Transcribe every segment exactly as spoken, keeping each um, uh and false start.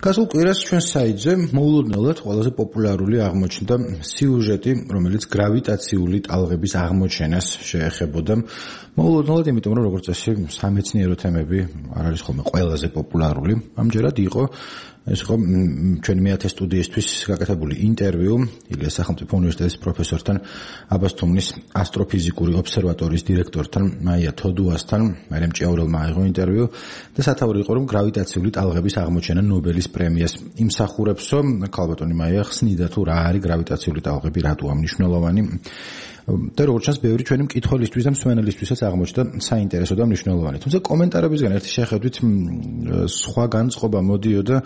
გასულ კვირას ჩვენ საიტზე მოულოდნელად ყველაზე პოპულარული აღმოჩნდა სიუჟეტი, რომელიც გრავიტაციული ტალღების აღმოჩენას შეეხებოდა. მოულოდნელად, იმიტომ რომ როგორც წესი სამეცნიერო თემები არ არის ხოლმე ყველაზე პოპულარული. ამჯერად იყო ეს იყო ჩვენი მეათე სტუდიისთვის გაკეთებული ინტერვიუ ილიას სახელმწიფო უნივერსიტეტის პროფესორთან, აბას თუმნის ასტროფიზიკური ობსერვატორიის დირექტორთან, მაია თოდუასთან, მარიამ ჭიაურელმა აიღო ინტერვიუ და სათაური იყო, რომ გრავიტაციული ტალღების აღმოჩენა ნობელის პრემიას იმსახურებსო. ქალბატონი მაია ხსნიდა თუ რა არის გრავიტაციული ტალღები, რატოა მნიშვნელოვანი. და როგორც ჩანს, ბევრი ჩვენი მკითხველისთვის და მსმენელისთვისაც აღმოჩნდა საინტერესო და მნიშვნელოვანი. თუმცა კომენტარებისგან ერთი შეხედვით სხვა განწყობა მოდიოდა.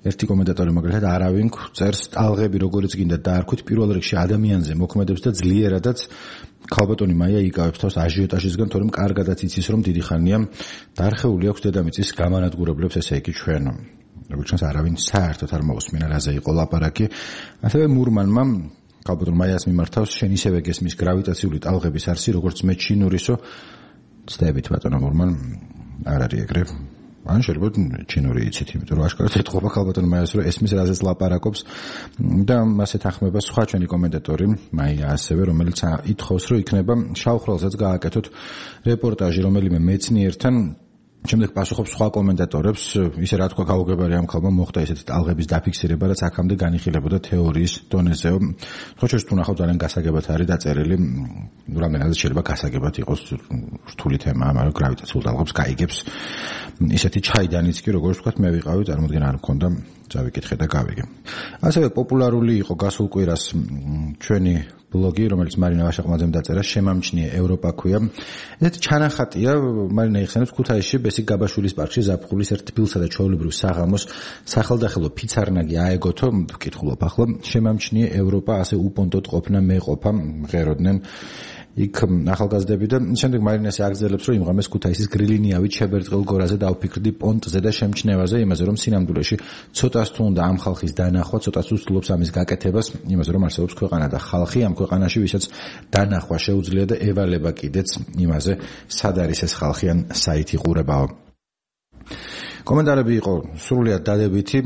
ერთი კომენტატორი მაგალითად არავინ წერს ტალღები როგორც გინდა დაარქვით, პირველ რიგში ადამიანზე მოქმედებს და ძლიერადაც ქალბატონი მაია იკავებს თავს აჟიოტაჟისგან, თორემ კარგადაც იცის, რომ დიდი ხანია დარხეული აქვს დედამიწის გამანადგურებლებს, ესე იგი ჩვენ. როგორც ჩანს, არავინ საერთოდ არ მოусმინა რაზე იყო ლაპარაკი. ასევე მურმანმა ქალბატონ მაიას მიმართავს შენ ისევე გესმის გრავიტაციული ტალღების არსი, როგორც მე ჩინურისო. ცდებით ბატონო მურმან, არ არის ეგრე. ან შეიძლება ჩინური იცით, იმიტომ რომ აშკარად ეთყობა ქალბატონ მაიას, რომ ესმის რაზეც ლაპარაკობს და მასე თანხმება სხვა ჩვენი კომენტატორი მაია ასევე, რომელიც ითხოვს, რომ იქნება შავხრალსაც გააკეთოთ რეპორტაჟი რომელიმე მეცნიერთან. შემდეგ პასუხობს სხვა კომენტატორებს, ისე რა თქვა გაუგებარი ამ ქალმა მოხდა ესეთი ტალღების დაფიქსირება, რაც აქამდე განიხილებოდა თეორიის დონეზე. სხვა შორის თუ ნახავთ, ძალიან გასაგებად არის დაწერილი, რამდენადაც შეიძლება გასაგებად იყოს რთული თემა, მაგრამ გრავიტაციულ ტალღებს გაიგებს. ისეთი ჩაიდანიც კი, როგორც ვთქვათ, მე ვიყავი, წარმოიდგინე არ მქონდა, წავიკითხე და გავიგე. ასევე პოპულარული იყო გასულ კვირას ჩვენი ბლოგი, რომელიც მარინა ვაშაყმაძემ დაწერა, შემამჩნიე ევროპა ქვია. ესეთი ჩანახატია მარინა იხსენებს ქუთაისში ბესიკ გაბაშვილის პარკში ზაფხულის ერთ თბილსა და ჩვეულებრივ საღამოს სახელდახელო ფიცარნაგი აეგოთო, ვკითხულობ ახლა, შემამჩნიე ევროპა, ასე უპონტოდ ყოფნა მეყოფა, მღეროდნენ იქ ახალგაზრდები და შემდეგ მარინას აგრძელებს, რომ იმღამეს ქუთაისის გრილინიავით შებერტყელ გორაზე დავფიქრდი პონტზე და შემჩნევაზე, იმაზე რომ სინამდვილეში ცოტას თუ უნდა ამ ხალხის დანახვა, ცოტას უსწლობს ამის გაკეთებას, იმაზე რომ არსებობს ქვეყანა და ხალხი ამ ქვეყანაში, ვისაც დანახვა შეუძლია და ევალება კიდეც იმაზე, სად არის ეს ხალხი ან საით იყურებაო. კომენტარები იყო სრულიად დადებითი.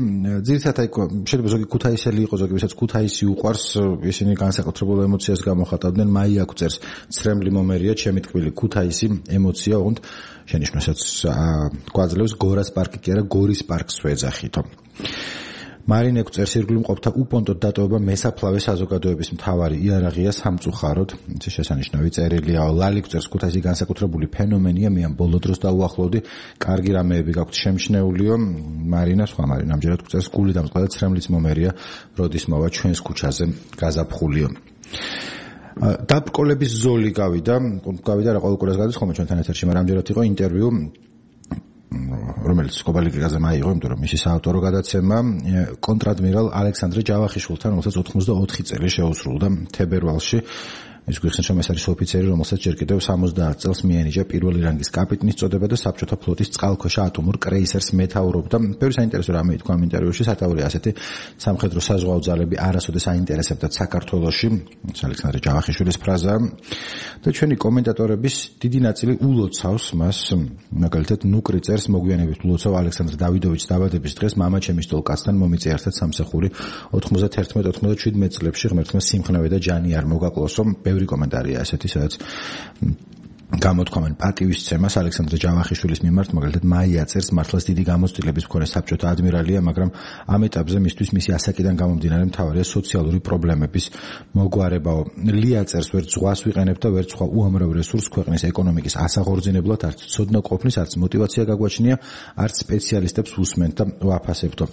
ძირითადად იქ შეიძლება ზოგი ქუთაისელი იყო, ზოგი ვისაც ქუთაისი უყვარს, ისინი განსაკუთრებულ ემოციას გამოხატავდნენ. მაია გვწერს, ცრემლი მომერია, ჩემი თქმილი ქუთაისი ემოცია, ოღონდ შენიშვნასაც გვაძლევს გორას პარკი კი არა, გორის პარკს ვეძახითო. მარინე გვწერს, ირგვლივ მყოფთა უპონტოდ დატოვება მესაფლავე საზოგადოების მთავარი იარაღია სამწუხაროდ. ეს შესანიშნავი წერილია. ლალი გვწერს, ქუთაისი განსაკუთრებული ფენომენია, მე ამ ბოლო დროს დაუახლოვდი, კარგი რამეები გაქვთ შემჩნეულიო. მარინა, სხვა მარინა ამჯერად გვწერს, გული დამწყდა და ცრემლიც მომერია, როდის მოვა ჩვენს ქუჩაზე გაზაფხულიო. დაბკოლების ზოლი გავიდა, გავიდა რა ყოველ კვირას გადის ხოლმე ჩვენთან ეთერში, მაგრამ ამჯერად იყო ინტერვიუ რომელიც კობალიკაზე მაიღო, იმიტომ რომ მისი საავტორო გადაცემა კონტრადმირალ ალექსანდრე ჯავახიშვილთან, რომელსაც ოთხმოცდაოთხი წელი შეუსრულდა თებერვალში. ის გვიხსენს, რომ ეს არის ოფიცერი, რომელსაც ჯერ კიდევ სამოცდაათ წელს მიენიჭა პირველი რანგის კაპიტნის წოდება და საბჭოთა ფლოტის წყალქვეშა ატომურ კრეისერს მეთაურობდა. ბევრი საინტერესო რამე ითქვა ამ ინტერვიუში, სათაური ასეთი სამხედრო საზღვაო ძალები არასოდეს აინტერესებდათ საქართველოში, ალექსანდრე ჯავახიშვილის ფრაზა. და ჩვენი კომენტატორების დიდი ნაწილი ულოცავს მას, მაგალითად ნუკრი წერს, მოგვიანებით ულოცავ ალექსანდრე დავიდოვიჩის დაბადების დღეს მამა ჩემი სტოლკაცთან მომიწია ერთად სამსახური ოთხმოცდაერთმეტ ოთხმოცდაშვიდმეტ წლებში, ღმერთმა სიმხნევე და ჯანი არ მოგაკლოსო. ბევრი კომენტარია ასეთი, სადაც გამოთქვამენ პატივისცემას ალექსანდრე ჯავახიშვილის მიმართ, მაგალითად მაია წერს, მართლაც დიდი გამოცდილების მქონე საბჭოთა ადმირალია, მაგრამ ამ ეტაპზე მისთვის მისი ასაკიდან გამომდინარე მთავარია სოციალური პრობლემების მოგვარებაო. ლია წერს, ვერც ზღვას ვიყენებ და ვერც სხვა უამრავ რესურსს ქვეყნის ეკონომიკის ასაღორძინებლად, არც ცოდნა ყოფნის, არც мотиваცია გაგვაჩნია, არც სპეციალისტებს უსმენთ და ვაფასებდო.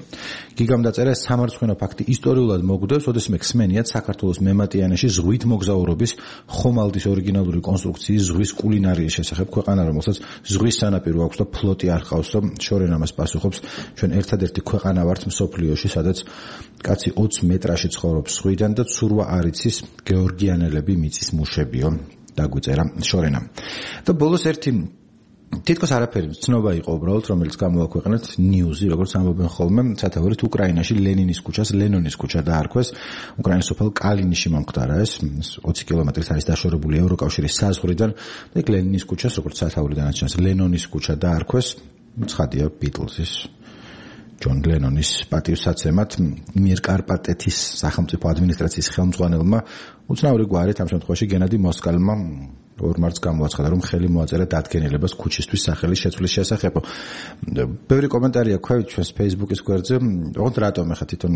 გიგამ დაწერა, სამარცხვინო ფაქტი ისტორიულად მოგვდევს, ოდესმე ხსმენიათ საქართველოს მემატიანეში ზღვით მოგზაურობის ხომალდის ორიგინალური კონსტრუქციის ზღვის კულინარიის შესახებ, ქვეყანა რომელსაც ზღვის სანაპირო აქვს და ფლოტი არ ყავს და შორენ ამას პასუხობს, ჩვენ ერთადერთი ქვეყანა ვართ მსოფლიოში, სადაც კაცი ოცი მეტრაში ცხოვრობს ზღვიდან და ცურვა არ იცის, გეორგიანელები მიწის მუშებიო, დაგვიწერა შორენამ. და ბოლოს ერთი თითქოს არაფერი ცნობა იყო უბრალოდ, რომელიც გამოაქვეყნეთ ნიუზი, როგორც ამბობენ ხოლმე, სათაურით უკრაინაში ლენინის ქუჩას ლენონის ქუჩა დაარქვეს. უკრაინის სოფელ კალინიში მომხდარა ეს, ოცი კილომეტრით არის დაშორებული ევროკავშირის საზღვრიდან და იქ ლენინის ქუჩას, როგორც სათაურიდანაც ჩანს, ლენონის ქუჩა დაარქვეს. ცხადია ბიტლზის ჯონ ლენონის პატივსაცემად მიერკარპატეთის სახელმწიფო ადმინისტრაციის ხელმძღვანელმა უცნაური გვარით ამ შემთხვევაში გენადი მოსკალმა ორ მარტს გამოაცხადა, რომ ხელი მოაწერა დადგენილებას ქუჩისთვის სახელის შეცვლის შესახებ. ბევრი კომენტარია ქვევით ჩვენს Facebook-ის გვერდზე, ოღონდ რატომ ახლა თვითონ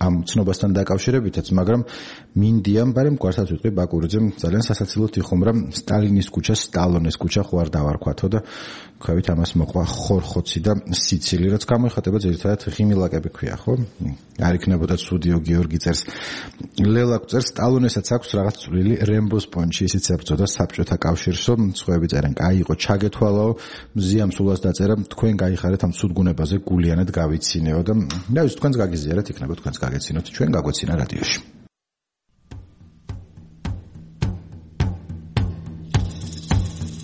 ამ ცნობასთან დაკავშირებითაც, მაგრამ მინდიამ ბარემ გვარსაც ვიტყვი ბაკურიძემ ძალიან სასაცილოდ იხუმრა სტალინის ქუჩა სტალონეს ქუჩა ხო არ დავარქვათო და ქვევით ამას მოყვა ხორხოცი და სიცილი, რაც გამოიხატება ძირითადად ღიმილაკები ქვია, ხო? არ იქნებოდა ცუდიო გიორგი წერს. ლელა წერს სტალონესაც აქვს რაღაც წვლილი რემბოს პონჩი, ისიც ებრძოდა საბჭოთა კავშირსო, სხვაები წერენ, კაი იყო ჩაგეთვალაო, მზიამ სულას დაწერა, თქვენ გაიხარეთ ამ ცუდგუნებაზე გულიანად გავიცინეო და ნავის თქვენს გაგიზიარეთ, იქნება თქვენს გაგეცინოთ, ჩვენ გაგვეცინა რადიოში.